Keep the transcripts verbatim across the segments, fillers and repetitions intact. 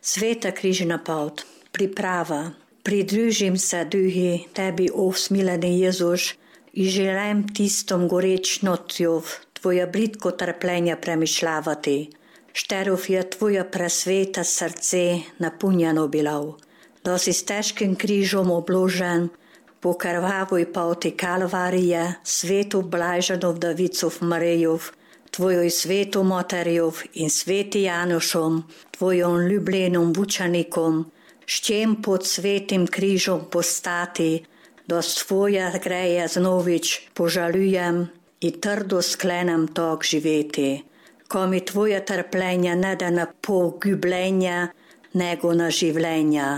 Sveta križna pot, priprava. Pridružim se duhi tebi, o smileni Jezuš, i želim tistom goreč nocjov tvoja britko trpljenja premišljavati. Šterov je tvoja presveta srce napunjeno bilo. Da si s težkim križom obložen, po krvavoj poti Kalvarije, svetu blaženov Davicov Marijov, tvojoj svetu Materjov in sveti Janošom, tvojom ljubljenom vučanikom, s čem pod svetim križom postati, da svoja greje znovič požalujem i trdo sklenem tak živeti. Ko mi tvoje trpljenja ne da na pogubljenja, nego na življenja.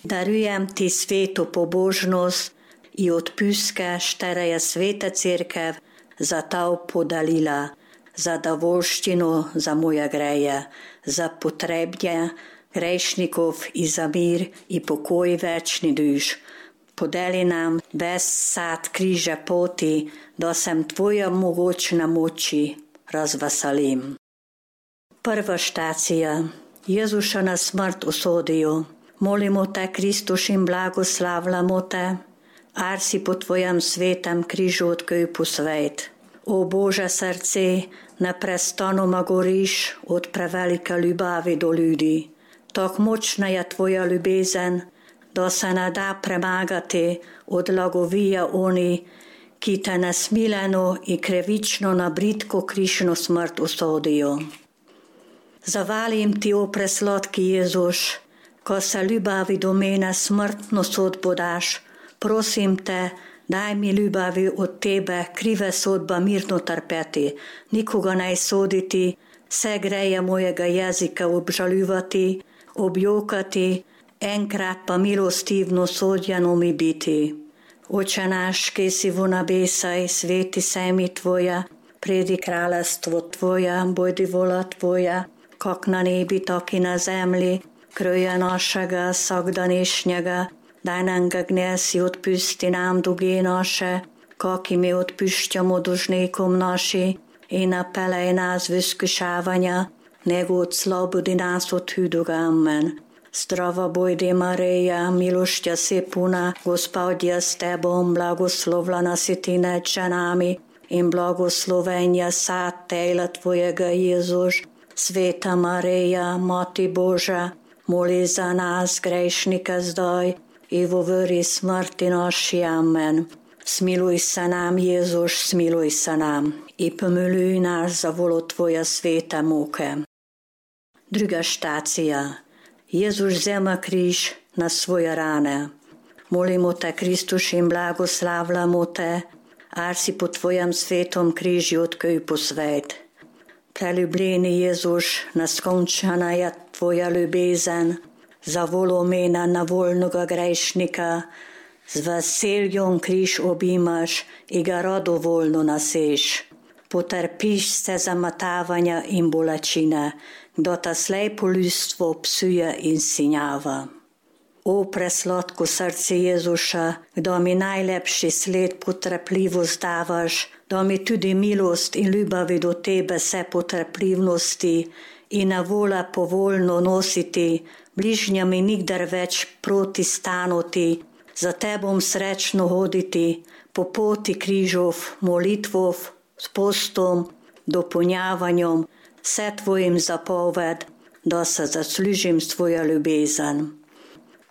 Darujem ti svetu pobožnost i odpuske, štere je sveta cirkev za to podalila, za dovolščino za moje greje, za potrebje grešnikov i za mir i pokoj večni duš. Podeli nam ves sad križa poti, da sem tvoja mogočna moči razveselim. Prva štacija. Jezuša na smrt usodijo. Molimo te, Kristuš, in blagoslavljamo te, ar si po tvojem svetem križu odkupil svet. O Bože srce, neprestanoma goriš od prevelike ljubavi do ljudi. Tak močna je tvoja ljubezen, da se ne da premagati od lagovija oni, ki te nasmiljeno i krivično na britko križno smrt usodijo. Zavalim ti, o presladki Jezuš, ko se ljubavi do mene smrtno sodbo daš, prosim te, daj mi ljubavi od tebe krive sodba mirno trpeti, nikoga naj soditi, vse greje mojega jezika obžaljivati, objokati, enkrat pa milostivno sodjeno mi biti. Oče naš, ki si v nebesaj, sveti se mi tvoja, pridi kraljestvo tvoja, bojdi vola tvoja, kak na nebi, tak i na zemlji, kroja našega vsakdanješnjega, daj nam ga dnes i odpusti nam dolge naše, kak i mi odpuščamo dužnikom naši, i napelej nas v iskušavanja, nego odslobodi nas od hudega. Amen. Zdrava bojdi Marija, milošťa si puna, Gospod je s tebom, blagoslovljena si ti nad ženami in blagosloven je sad tela tvojega Jezuš. Sveta Marija, Mati Boža, moli za nas grešnike zdaj i v uri smrti naši. Amen. Smiluj se nam, Jezuš, smiluj se nam i pomiluj nas za volo tvoje svete muke. Druga štacija. Jezuš vzema križ na svoje rane. Molimo te, Kristuš, in blagoslavljamo te, ar si po tvojem svetom križu odkupil svet. Preljubljeni Jezuš, neskončana je tvoja ljubezen, za volo mene nevoljnega grešnika, z veseljem križ obimaš i ga radovoljno naseš. Potrpiš se zamatavanja in bolečine, kdo ta slepo ljudstvo psuje in sinjava. O presladko srce Jezuša, kdo mi najlepši sled potrpljivost davaš, da mi tudi milost in ljubavi do tebe se potrpljivnosti i na vola povoljno nositi, bližnjami nikdar več proti stanuti, za tebom srečno hoditi, po poti križov, molitvov, s postom, dopolnjavanjem, vse tvojim zapoved, da se zaslužim s tvoja ljubezen.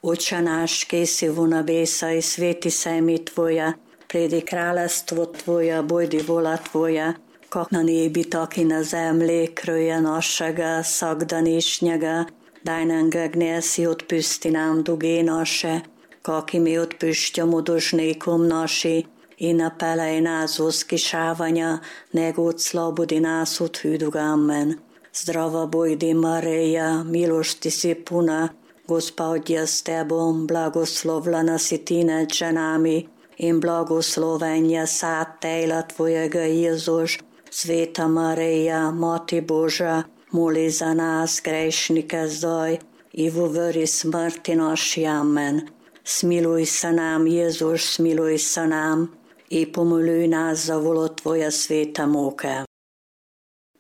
Oče naš, ki si v nebesaj, sveti se mi tvoja, pridi kraljestvo tvoja, bojdi vola tvoja, kak na nebi, tak i na zemlji, kroja našega vsakdanješnjega, daj nam ga dnes i odpusti nam dolge naše, kak i mi odpuščamo dužnikom naši, i napelej nas v iskušavanja, nego odslobodi nas od hudega. Amen. Zdrava bojdi Marija, milošti si puna, Gospod je s tebom, blagoslovljena si ti nad ženami in blagosloven je sad tela tvojega Jezuš. Sveta Marija, Mati Boža, moli za nas grešnike zdaj i v uri smrti naši. Amen. Smiluj se nam, Jezuš, smiluj se nam i pomiluj nas za volo tvoje svete muke.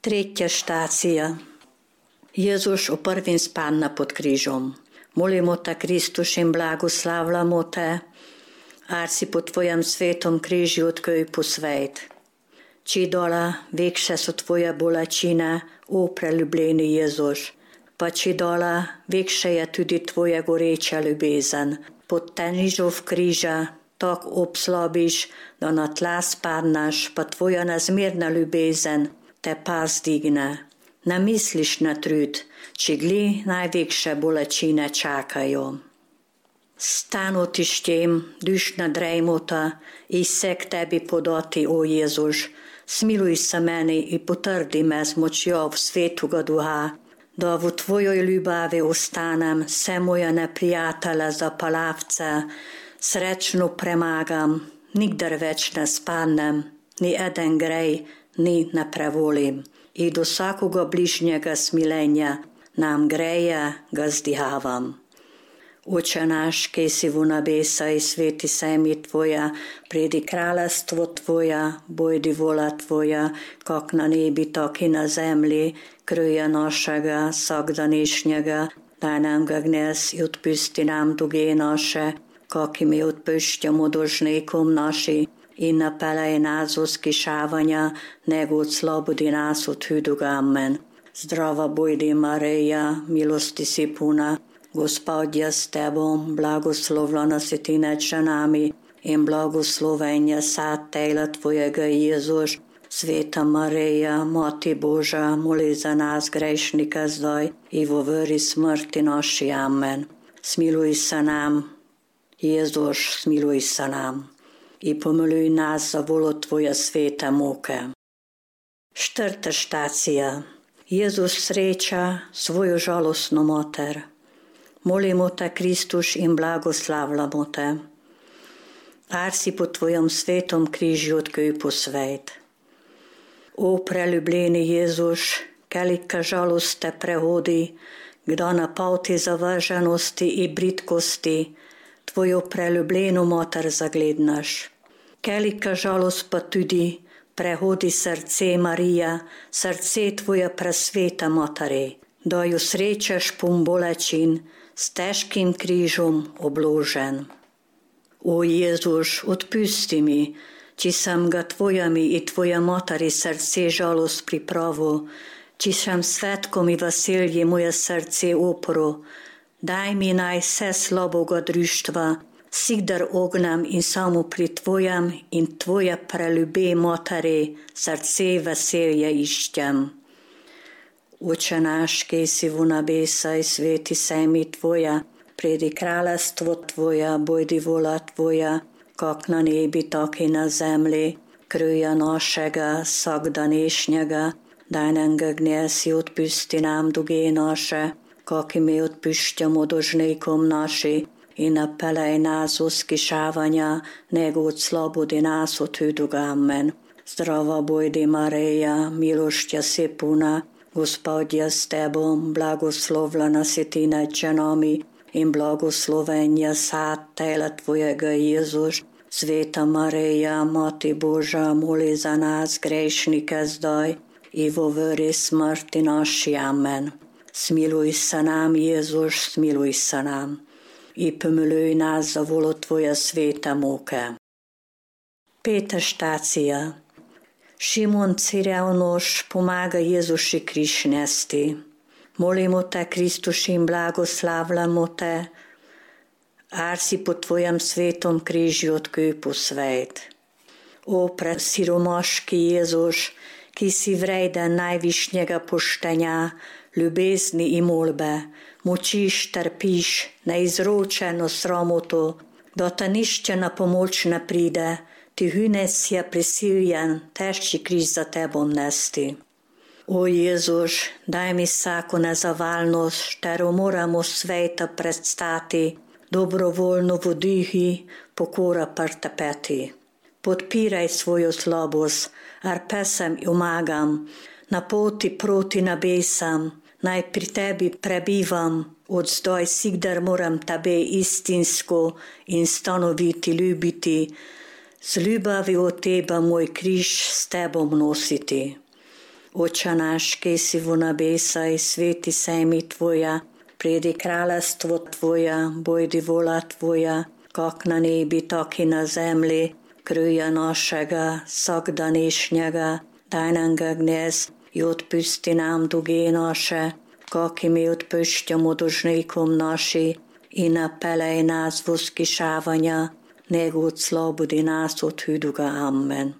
Tretja štacija. Jezus, u prvim spadna pod križom. Molimo te, Kristus, in blagoslavljamo te, ar si po tvojem svetom križi odkupil svet. Či dola vekše so tvoje bolečine, o preljubljeni Jezus, pa či dola vekše je tudi tvoja goreča ljubezen. Pod težov križa tak obslabiš, da na tla spadnaš, pa tvoja nezmerna ljubezen te pas digne. Ne misliš na trud, či gli najvekše bolečine čakajo. Stanu ti štem, dušna drejmota, i se k tebi podati, o Jezus. Smiluj se meni i potrdi me z močjo svetuga duha, da v tvojoj ljubavi ostanem, se moja neprijatelja za palavce, srečno premagam, nikdar več ne spadnem, ni eden grej, ni ne prevolim. I do vsakoga bližnjega smilenja nam greje ga zdihavam. Oče naš, ki si v nebesa i sveti se ime tvoja, pridi kraljestvo tvoja, bojdi vola tvoja, kak na nebi, tak i na zemlji, kruja našega vsakdanišnjega, daj nam ga dnes i odpusti nam dolge naše, kak i mi odpuščamo dolžnikom naši, i napelej nas v skušavanja, nego odslobodi nas od hudega. Amen. Zdrava bojdi Marija, milosti si puna, Gospod je s tebom, blagoslovljena si ti med ženami in blagosloven je sad tela tvojega Jezus. Sveta Marija, Mati Božja, moli za nas grešnike zdaj i v uri smrti naši. Amen. Smiluj se nam, Jezus, smiluj se nam i pomiluj nas za volo tvoje svete muke. Četrta štacija. Jezus sreča svojo žalostno mater. Molimo te, Kristus, in blagoslavljamo te. Ar si po tvojem svetom križi odkupil svet. O preljubljeni Jezus, kolika žalost te prehodi, kdo na poti zavrženosti i britkosti tvojo preljubljeno mater zaglednaš. Kolika žalost pa tudi prehodi srce Marija, srce tvoja presveta materi, da jo srečaš pun bolečin, s težkim križom obložen. O Jezus, odpusti mi, či sem ga tvojami i tvoja materi srce žalost pripravil, či sem svetkom i veselje moje srce opro, daj mi naj vse slaboga društva, sigdar ognam in samo pri tvojem in tvoja preljube materi srce veselje iščem. Oče naš, ki si v nebesa i sveti se ime tvoja, pridi kraljestvo tvoja, bojdi vola tvoja, kak na nebi, tak i na zemlji, kruja našega vsakdanišnjega, daj nam ga dnes i odpusti nam dolge naše, kak i mi odpuščamo dolžnikom naši, i napelej nas v skušavanja, nego odslobodi nas od hudega. Amen. Zdrava bojdi Marija, milošća si puna, Gospod je s tebom, blagoslovljena si ti nad ženami in blagosloven je sad tela tvojega Jezus. Sveta Marija, Mati Božja, moli za nas grešnike zdaj i v uri smrti naši. Amen. Smiluj se nam, Jezus, smiluj se nam i pomiluj nas za volo tvoje svete muke. Peta štacija. Šimon Cirevnoš pomaga Jezuši križ nesti. Molimo te, Kristus, in blagoslavljamo te, ar si po tvojem svetom križu odkupil svet. O presiromaški Jezus, ki si vreden najvišnjega poštenja, ljubezni i molbe, mučiš, trpiš, neizročeno sramoto, da ta nišče na pomoč ne pride, ti hünec je prisiljen težki križ za tebom nesti. O Jezus, daj mi vsako nezavalnost, štero moramo sveta predstati, dobrovoljno v duhi, pokora prtepeti. Podpiraj svojo slabost, ar pesem umagam, na poti proti nebesam, naj pri tebi prebivam, od zdaj sigdar moram tebe istinsko in stanoviti ljubiti, z ljubavi od teba moj križ s tebom nositi. Oče naš, ki si v nebesaj, sveti se ime Tvoja, pridi kraljestvo Tvoja, bojdi vola Tvoja, kak na nebi, tak i na zemlji. Kruja našega vsakdanšnjega daj nam ga dnes i otpusti nam duge naše, kak i mi otpušťamo dužnikom naši, i ne pelej nás v iskušavanja, nego oslobodi nas od hudoga. Amen.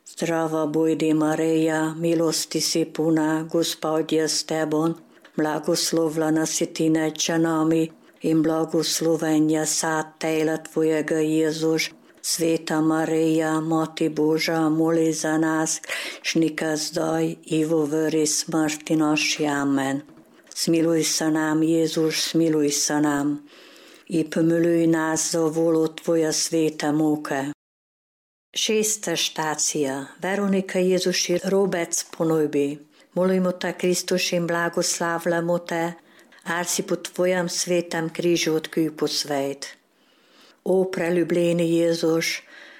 Zdrava bojdi Marija, milosti si puna, Gospod je s tebom, blagoslovljena si ti nad ženami in blagosloven je sad tela tvojega Jezus. Sveta Marija, Mati Božja, moli za nas, griješnika zdaj i v uri smrti naši. Amen. Smiluj se nam, Jezus, smiluj se nam i pomiluj nas za volo Tvoja sveta muke. Šesta štacija. Veronika Jezuši robec ponujbi. Molimo te, Kristus, in blagoslavljamo te, ar si po Tvojem svetem križu odkupo svet. O preljubljeni Jezus,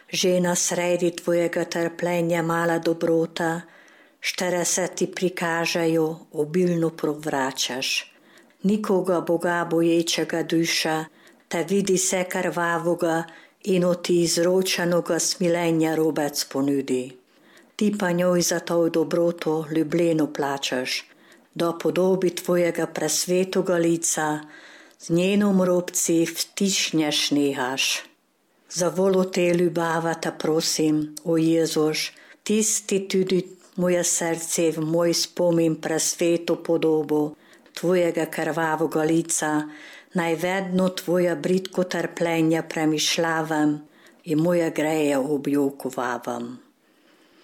že na sredi Tvojega trpljenja mala dobrota, štere se ti prikažejo, obilno provračaš. Nikoga Boga boječega duša, te vidi se krvavoga in od ti izročenoga smilenja robec ponudi. Ti pa njoj za to dobroto ljubljeno plačaš, do podobi Tvojega presvetoga lica, z njenom robci vtišnješ nehaš. Za volo te ljubava te prosim, o Jezus, tisti tudi moje srce v moj spomin presveto podobo Tvojega krvavoga lica, naj vedno Tvoja bridko trpljenja premišljavam i moje greje objokovavam.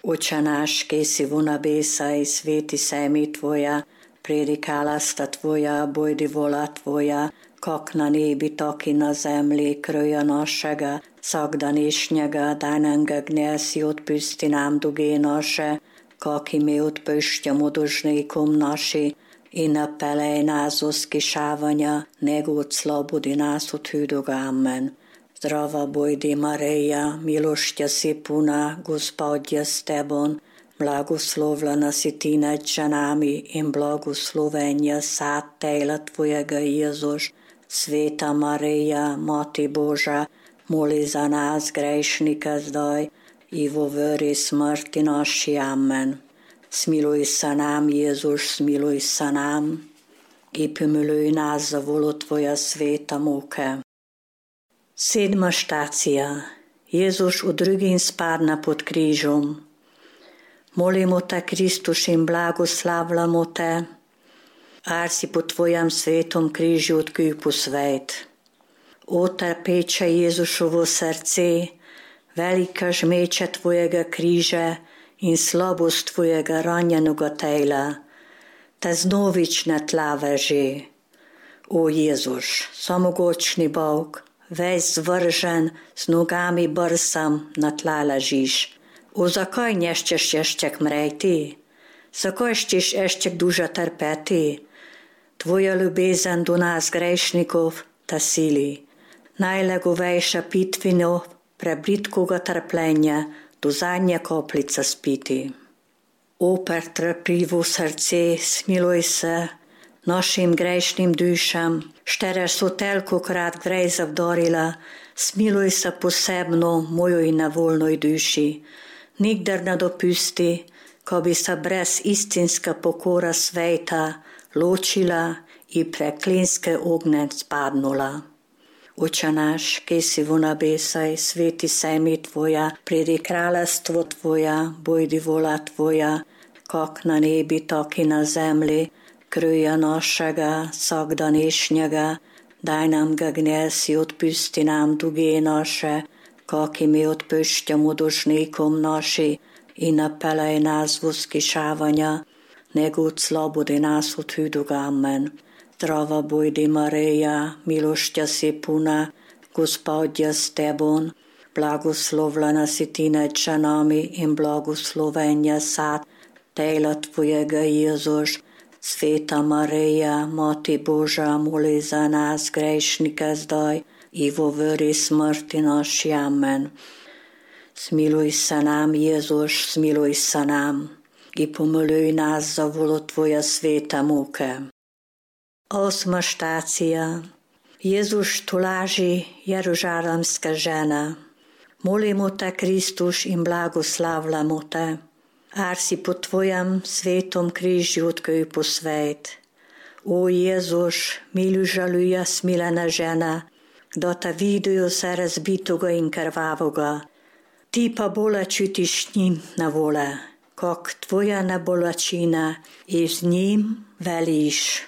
Oče naš, ki si v nebesaj, sveti se ime Tvoja, pridi kraljestvo Tvoja, bojdi vola Tvoja, kak na nebi, tak i na zemlji. Kruja našega vsakdanšnjega daj nam ga dnes i otpusti nam duge naše, kak i mi otpušťamo dužnikom naši, i ne pelej nas v iskušavanja, nego oslobodi nas od hudoga. Amen. Zdrava bojdi Marija, milošťa si puna, Gospod je s tebom, blagoslovljena si ti nad ženami in blagosloven je sad tela Tvojega Jezus. Sveta Marija, Mati Božja, moli za nas grešnike zdaj i v uri smrti naši. Amen. Smiluj se nam, Jezus, smiluj se nam i pomiluj nas za volo Tvoja sveta muke. Sedma štacija. Jezus u drugim spadna pod križom. Molimo te, Kristus, in blagoslavljamo te, ar si po Tvojem svetom križu odkupo svet. O trpeče Jezušovo srce, velika žmeče Tvojega križa in slabost Tvojega ranjenega tela, te znovič na tla veže. O Jezus, samogočni Bog, ves zvržen, z nogami brsam na tla ležiš. O zakaj nešćeš ještě mreti? Zakaj ćeš ještě duže trpeti? Tvoja ljubezen do nas grešnikov te sili. Najlegovejša pitvino prebritkoga trpljenja do zadnje koplice spiti. O pretrpljivo srce, smiluj se našim grešnim dušam, štere so telkokrat grej zavdorila, smiluj se posebno mojoj nevoljnoj duši. Nikdar ne dopusti, ko bi se brez istinska pokora sveta ločila i preklinske ogne spadnula. Oče naš, ki si v nebesaj, sveti se ime Tvoja, pridi kraljestvo Tvoja, bojdi vola Tvoja, kak na nebi, tak i na zemlji. Kruja našega vsakdanšnjega daj nam ga dnes i otpusti nam duge naše, kak i mi otpušťamo dužnikom naši, i ne pelej nas v iskušavanja, nego oslobodi nas od hudoga. Amen. Zdrava bojdi Marija, milošťa si puna, Gospod je s tebom, blagoslovljena si ti nad ženami in blagosloven je sad tela Tvojega Jezus. Sveta Marija, Mati Božja, moli za nas grešnike zdaj i v uri smrti naši. Amen. Smiluj se nam, Jezus, smiluj se nam i pomiluje nas za volo Tvoja sveta muke. Osma štacija. Jezus tolaži jeruzalemska žena. Molimo te, Kristus, in blagoslavljamo te, ar si po Tvojem svetom križu odkupil svet. O Jezus, milu žaluja smilena žena, kdo te vidijo se razbitoga in krvavoga. Ti pa bolečutiš njim na vole, kak Tvoja nebolačina i z njim veliš.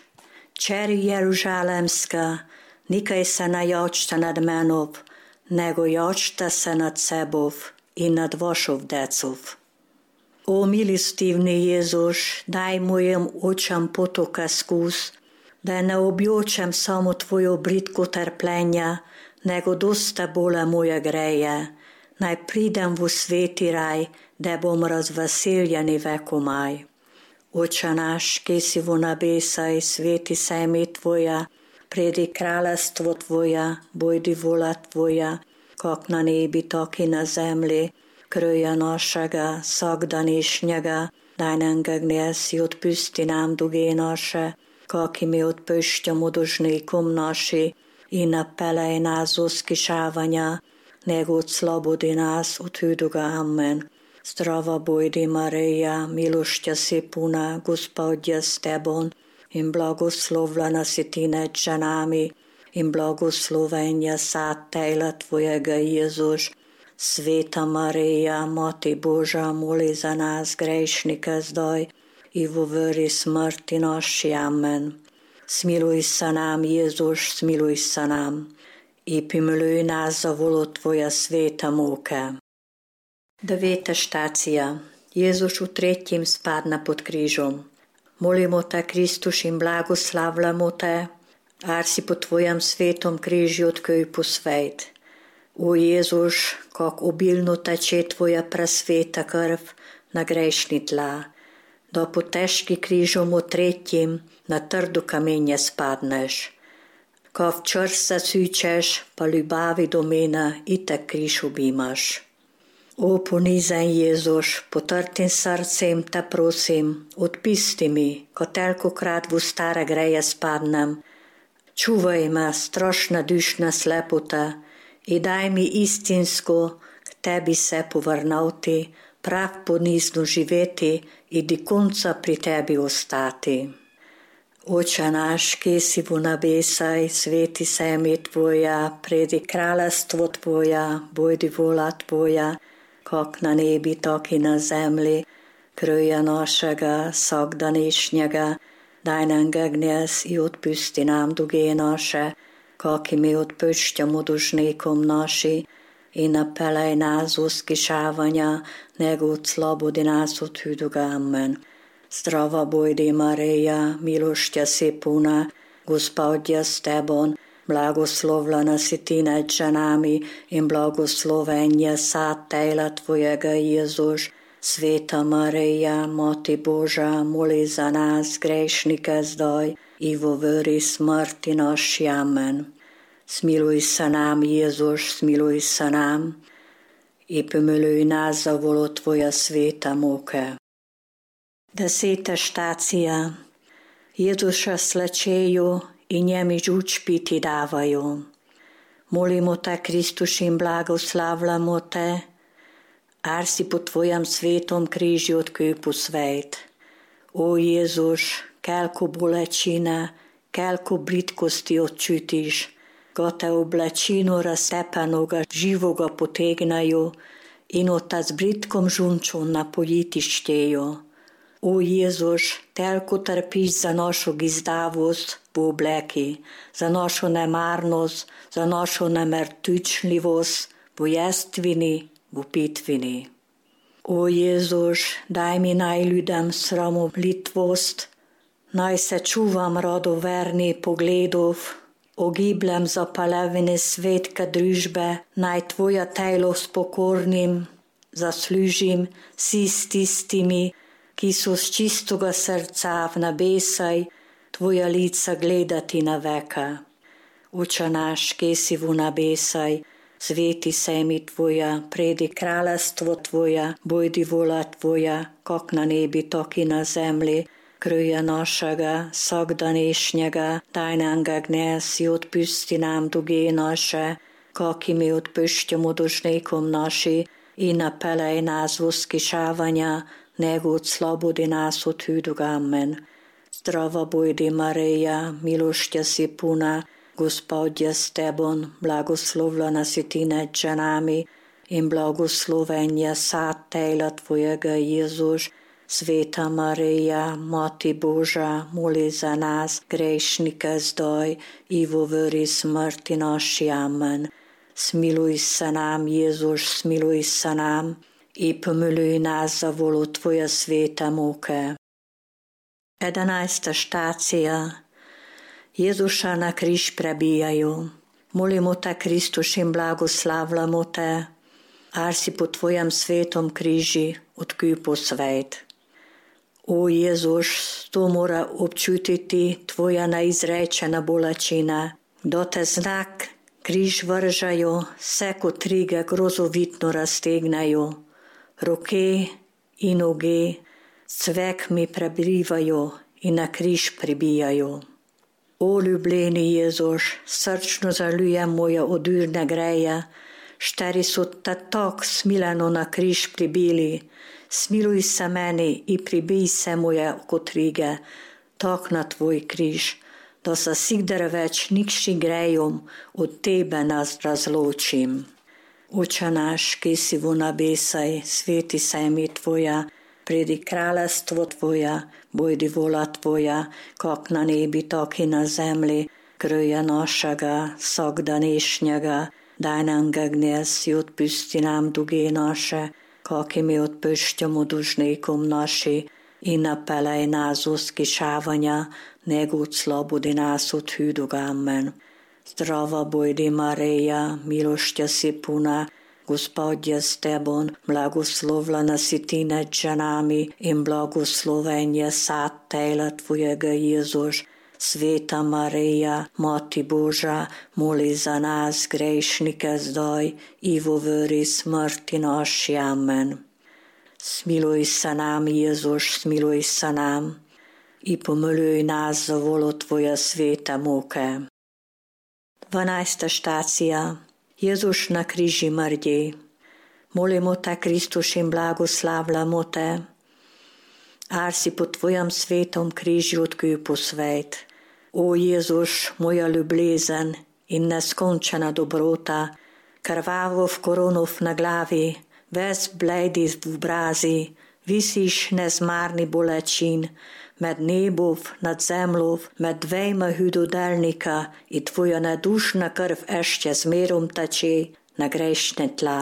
Čeri jeruzalemska, nikaj se ne jačta nad menov, nego jačta se nad sebov i nad vašov decov. O milostivni Jezus, daj mojim očam potoka skus, da ne objočem samo Tvojo britko trpljenja, nego dosta bole moje greje. Naj pridem v sveti raj, da bom razveseljeni vekomaj. Oče naš, ki si v nebesaj, sveti se ime Tvoja, pridi kraljestvo Tvoja, bojdi vola Tvoja, kak na nebi, tak i na zemlji. Kröja našega, vsakdanišnjega, daj nam ga dnes i odpusti nam duge naše, kak i mi odpušťamo dužnikom naši, i ne pelej nas u skušavanja, nego oslobodi nas od hudoga. Amen. Zdrava bojdi Marija, milošća si puna, Gospod je s tebom, in blagoslovljena si ti med ženami, in blagosloven je sad tela Tvojega Jezus. Sveta Marija, Mati Božja, moli za nas grešnike zdaj i v uri smrti naši. Amen. Smiluj se nam, Jezus, smiluj se nam i pomiluj nas za volo Tvoja sveta muke. Deveta štacija. Jezus v tretjem spadna pod križom. Molimo te, Kristus, in blagoslavljamo te, ar si po Tvojem svetom križu odkupil svet. O Jezus, kak obilno teče Tvoja presveta krv na grešni tla, da po težki križom v tretjem na trdo kamenje spadneš. Ko v čas zasučeš, pa ljubavi do mene i te križ obimaš. O ponizen Jezus, potrtim srcem te prosim, odpusti mi, ko tolikokrat v stare greje spadnem. Čuvaj me, strašna dušna slepota, i daj mi istinsko k Tebi se povrnati, prav ponizno živeti i do konca pri Tebi ostati. Oče naš, ki si v nebesaj, sveti se ime Tvoja, pridi kraljestvo Tvoja, bojdi vola Tvoja, kak na nebi, tak i na zemlji. Kröja našega vsakdanišnjega, daj nam ga dnes i odpusti nam duge naše, kak i mi odpušťamo dužnikom naši, i ne pelej nas u skušavanja, nego oslobodi nas od hudoga. Amen. Zdrava bojdi Marija, milošća si puna, Gospod je s tebom, blagoslovljena si ti med ženami in blagosloven je sad tela Tvojega Jezus. Sveta Marija, Mati Božja, moli za nas grešnike zdaj i v uri smrti naši. Amen. Smiluj se nam, Jezus, smiluj se nam i pomiluj nas za volo Tvoja sveta muke. Deseta štacija. Jezuša slečeju i njemi žuč piti davaju. Molimo te, Kristus, in blagoslavljamo te, ar si po Tvojem svetom križu odkupil svet. O Jezus, kelko bolečine, kelko britkosti odčutiš, ko te oblečino raztepenoga živoga potegnajo in od ta z britkom žunčo napojiti štejo. O Jezus, telko trpiš za našo gizdavost v obleki, za našo nemarnost, za našo nemertučljivost v jestvini, v pitvini. O Jezus, daj mi naj ljudem sramoblitvost, naj se čuvam radoverni pogledov, ogiblem zapalevine svetke družbe, naj Tvoja telo s pokornim zaslužim si s tistimi, ki so z čistoga srca v nebesaj Tvoja lica gledati na veka. Oče naš, ki si v nebesaj, sveti se mi Tvoja, predi kraljestvo Tvoja, bojdi vola Tvoja, kak na nebi, tak i na zemlji. Kröja našega, vsakdanejšnjega, daj nam ga dnes i odpusti nam duge naše, kak i mi odpušťamo dužnikom naši, i napelej nás v uskyšavanja, nego odslobodi nás od hudog. Amen. Zdrava bojdi Marija, milošťa si puna, Gospod je s tebom, blagoslovljena si ti nad ženami, in blagosloven je sad tela Tvojega Jezus. Sveta Marija, Mati Boža, moli za nas, grešnike zdaj i v uri smrti naši. Amen. Smiluj se nam, Jezus, smiluj se nam i pomiluj nas za volu Tvoje svete muke. Jedenaesta štacija. Jezuša na križ prebijaju. Molimo te, Kristus, in blagoslavljamo te, ar si po Tvojem svetom križi odkupil svet. O Jezus, to mora občutiti Tvoja neizrečena bolečina. Kdo te znak križ vržajo, se kot trige grozovitno raztegnajo. Roke in noge cvek mi prebrivajo in na križ pribijajo. O ljubljeni Jezus, srčno zaljujem moje odurne greje, šteri so te tak smileno na križ pribili. Smiluj se meni i pribij se moje kotrige, tak na Tvoj križ, da se sigdar več nikši grejom od Tebe nas razločim. Oče naš, ki si v nebesaj, sveti se mi Tvoja, pridi kraljestvo Tvoja, bojdi vola Tvoja, kak na nebi, tak i na zemlji. Kröja našega, vsakdanejšnjega, daj nam ga dnes i odpusti nam duge naše, kak i mi odpušťamo dužnikom naši, i napelej nás v uskyšavanja, nego odslobodi nás od hudog. Amen. Zdrava bojdi Marija, milošťa si puna, Gospod je s tebom, blagoslovljena si ti nad ženami in blagosloven je sad tela Tvojega Jezus. Sveta Marija, Mati Boža, moli za nas grešnike zdaj i v uri smrti naši. Amen. Smiluj se nam, Jezus, smiluj se nam i pomiluj nas za volo Tvoje svete muke. Dvanajsta štacija. Jezus na križi mrdi. Molimo te, Kristus, in blagoslavljamo te, ar si po Tvojem svetom križi odkupil svet. O Jezus, moja ljubezen in neskončena dobrota, krvavo v koronov na glavi, ves bledi v obrazi, visiš nezmarni bolečin, med nebov, nad zemljov, med dvejma hudodelnika i Tvoja nedušna krv ešte zmerom teče na grešne tla.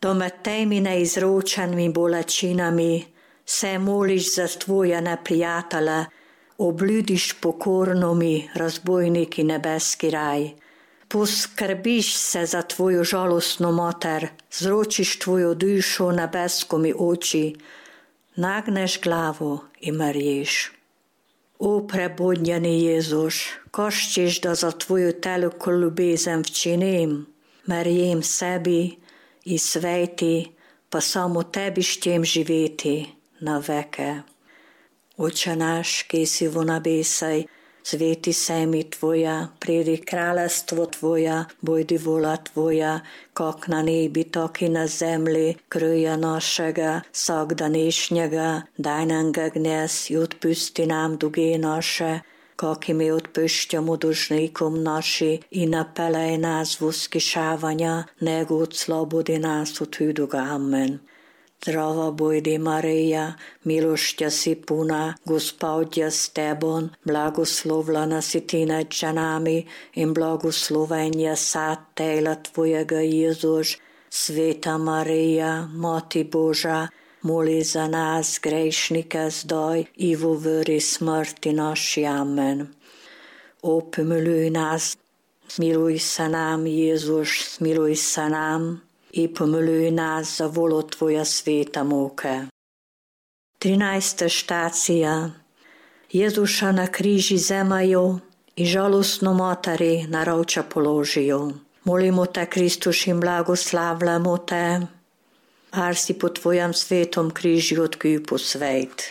Do med temi neizročenimi bolečinami se moliš za Tvoje neprijatele, obljudiš pokorno mi, razbojniki nebeski raj. Poskrbiš se za Tvojo žalostno mater, zročiš Tvojo dušo nebesko mi oči, nagneš glavo i mrješ. O prebodnjeni Jezus, koščeš da za Tvoju teluko ljubezen včinim, mrjem sebi i sveti, pa samo Tebi štem živeti na veke. Oče naš, ki si v nebesaj, sveti se mi Tvoja, pridi kraljestvo Tvoja, bojdi vola Tvoja, kak na nebi, tak i na zemlji. Kröja našega, vsakdanejšnjega, daj nam ga dnes i odpusti nam duge naše, kak i mi odpušťamo dužnikom naši, i napelej nás v uskyšavanja, nego odslobodi nás od hudog. Amen. Zdrava bojdi Marija, milošťa si puna, Gospod je s tebom, blagoslovljena si ti nad ženami in blagosloven je sad tela Tvojega Jezus. Sveta Marija, Mati Boža, moli za nas grešnike zdaj i v uri smrti naši. Amen. O pomiluj nas, smiluj se nam, Jezus, smiluj se nam i pomiluj nas za volo Tvoje svete muke. Trinajsta štacija. Jezuša na križi zemajo i žalostno materi na rovča položijo. Molimo te, Kristus, in blagoslavljamo te. Ar si po tvojam svetom križu odkuj posvejt.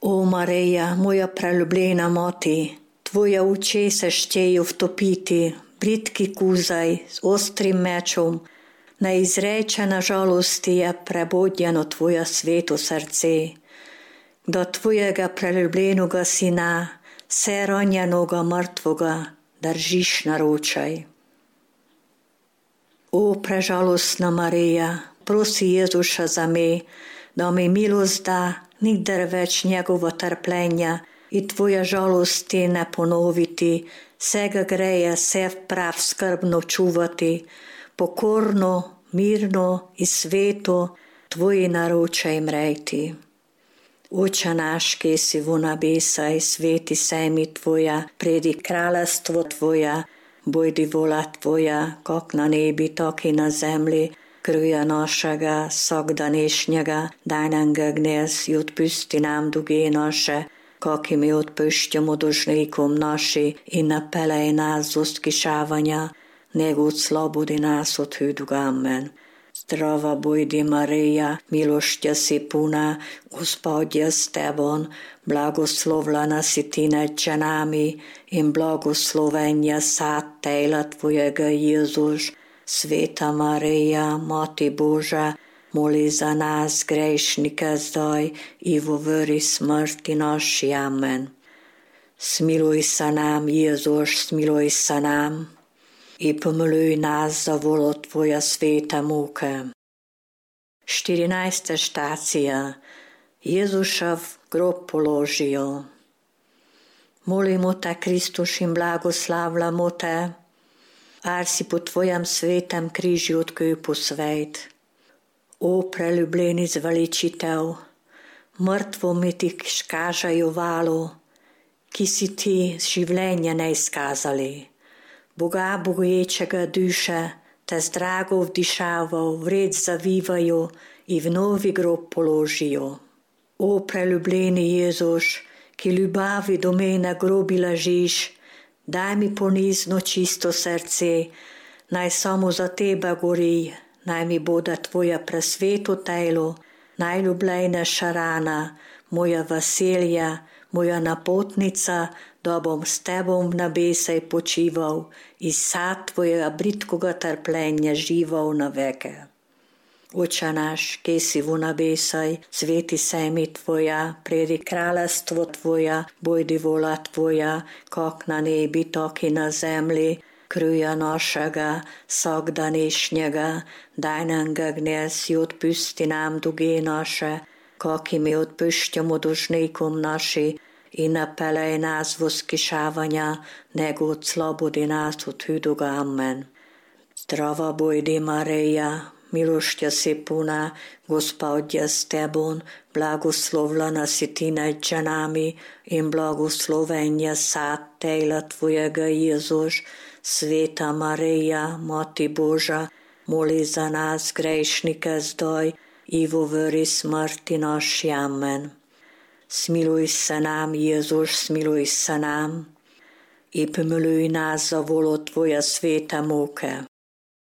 O Marija, moja preljubljena mati, tvoja oči se šteju vtopiti, britki kuzaj z ostrim mečom, neizrečena žalosti je prebodjeno tvoja sveto srce. Do tvojega preljubljenoga sina, se ranjenoga mrtvoga, držiš naročaj. O prežalostna Marija, prosi Jezuša za me, da mi milost da nikdar več njegova trpljenja i tvoja žalosti ne ponoviti, vsega greja se prav skrbno čuvati, pokorno, mirno i sveto tvoji naročaj mrejti. Oče naš, ki si v nebesaj, sveti se mi tvoja, pridi kraljestvo tvoja, bojdi vola tvoja, kak na nebi, tak i na zemlji, krvja našega vsakdanješnjega, daj nam ga dnes i odpusti nam dolge naše, kak i mi odpuščamo dolžnikom naši, i ne pelej nas v iskušavanja, nego oslobodi nas od hudega. Amen. Zdrava bojdi Marija, milošťa si puna, Gospod je s tebom, blagoslovljena si ti nad ženami in blagosloven je sad tela tvojega Jezus. Sveta Marija, Mati Božja, moli za nas grešnike zdaj i v uri smrti naši. Amen. Smiluj se nam, Jezus, smiluj se nam i pomiluj nas za volo tvoja sveta muke. štirinajsta štacija. Jezušev grob položijo. Molimo te, Kristus, in blagoslavljamo te, ar si po tvojem svetem križu odkuj posvejt. O preljubljeni zveličitev, mrtvo mi ti škažajo valo, ki si ti življenja ne izkazali. Boga bogoječega duše te z drago vdišaval, vred zavivajo i v novi grob položijo. O preljubljeni Jezus, ki ljubavi do mene grobi ležiš, daj mi ponizno čisto srce, naj samo za tebe gori, naj mi bude tvoja presveto telo, najljubljejnejša rana, moja veselja, moja napotnica, da bom s tebom v nebesej počival i sad tvojega britkoga trpljenja žival na veke. Oče naš, ki si v nebesej, sveti se mi tvoja, pridi kraljestvo tvoja, bojdi vola tvoja, kak na nebi, tak i na zemlji, krvja našega vsakdanješnjega, daj nam ga dnes i odpusti nam dolge naše, kak i mi odpuščamo dolžnikom naši, i ne pelej nas v iskušavanja, nego oslobodi nas od hudega. Amen. Zdrava bojdi Marija, milošťa si puna, Gospod je s tebom, blagoslovljena si ti nad ženami in blagosloven je sad tela tvojega Jezus. Sveta Marija, Mati Božja, moli za nas grešnike zdaj i v uri smrti naši. Amen. Smiluj se nam, Jezus, smiluj se nam i pomiluj nas za volo tvoja sveta muke.